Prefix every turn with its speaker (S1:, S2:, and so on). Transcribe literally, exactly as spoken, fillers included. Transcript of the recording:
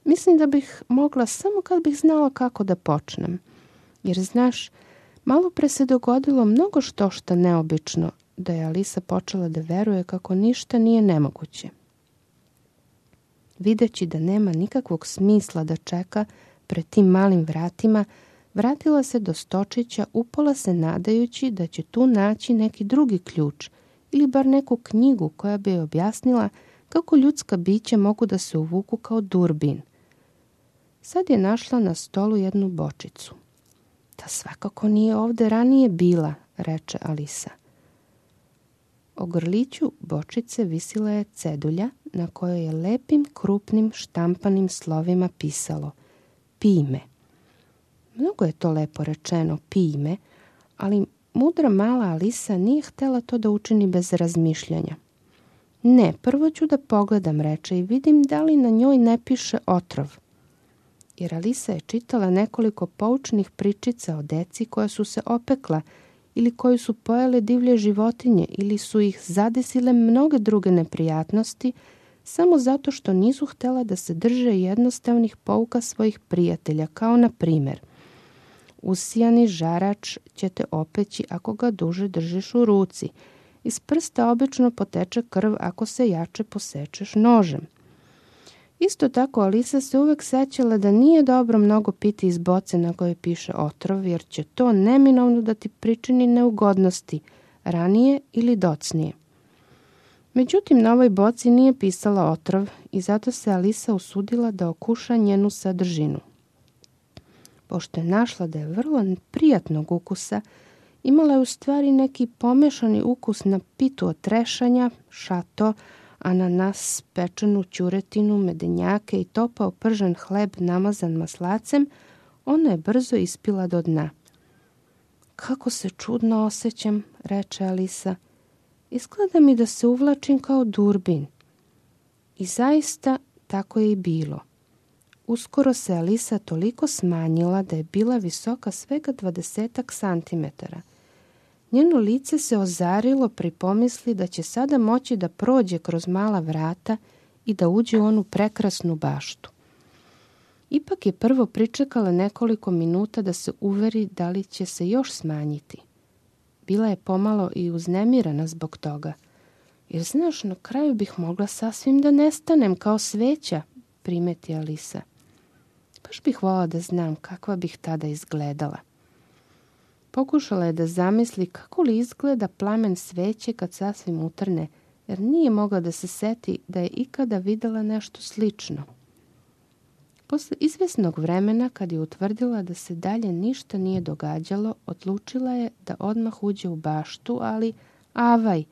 S1: Mislim da bih mogla samo kad bih znala kako da počnem. Jer, znaš, malo pre se dogodilo mnogo što šta neobično, da je Alisa počela da veruje kako ništa nije nemoguće. Videći da nema nikakvog smisla da čeka pred tim malim vratima, vratila se do stočića, upola se nadajući da će tu naći neki drugi ključ ili bar neku knjigu koja bi joj objasnila kako ljudska bića mogu da se uvuku kao durbin. Sad je našla na stolu jednu bočicu. Ta svakako nije ovde ranije bila, reče Alisa. O grliću bočice visila je cedulja na kojoj je lepim, krupnim, štampanim slovima pisalo Pime. Mnogo je to lepo rečeno, Pime, ali mudra mala Alisa nije htela to da učini bez razmišljanja. Ne, prvo ću da pogledam, reče, i vidim da li na njoj ne piše otrov. Jer Alisa je čitala nekoliko poučnih pričica o deci koja su se opekla ili koju su pojele divlje životinje ili su ih zadesile mnoge druge neprijatnosti samo zato što nisu htela da se drže jednostavnih pouka svojih prijatelja, kao na primer usijani žarač će te opeći ako ga duže držiš u ruci. Iz prsta obično poteče krv ako se jače posečeš nožem. Isto tako Alisa se uvek sećala da nije dobro mnogo piti iz boce na kojoj piše otrov, jer će to neminovno da ti pričini neugodnosti, ranije ili docnije. Međutim, na ovoj boci nije pisala otrov i zato se Alisa usudila da okuša njenu sadržinu. Pošto je našla da je vrlo prijatnog ukusa, imala je u stvari neki pomešani ukus na pitu od trešanja, šato, ananas, pečenu ćuretinu, medenjake i topao pržen hleb namazan maslacem, ona je brzo ispila do dna. Kako se čudno osjećam, reče Alisa. Izgleda mi da se uvlačim kao durbin. I zaista tako je i bilo. Uskoro se Alisa toliko smanjila da je bila visoka svega dvadesetak santimetara. Njeno lice se ozarilo pri pomisli da će sada moći da prođe kroz mala vrata i da uđe u onu prekrasnu baštu. Ipak je prvo pričekala nekoliko minuta da se uveri da li će se još smanjiti. Bila je pomalo i uznemirana zbog toga. Jer znaš, na kraju bih mogla sasvim da nestanem kao sveća, primeti Alisa. Baš bih volala da znam kakva bih tada izgledala. Pokušala je da zamisli kako li izgleda plamen sveće kad sasvim utrne, jer nije mogla da se seti da je ikada videla nešto slično. Posle izvesnog vremena, kad je utvrdila da se dalje ništa nije događalo, odlučila je da odmah uđe u baštu, ali avaj,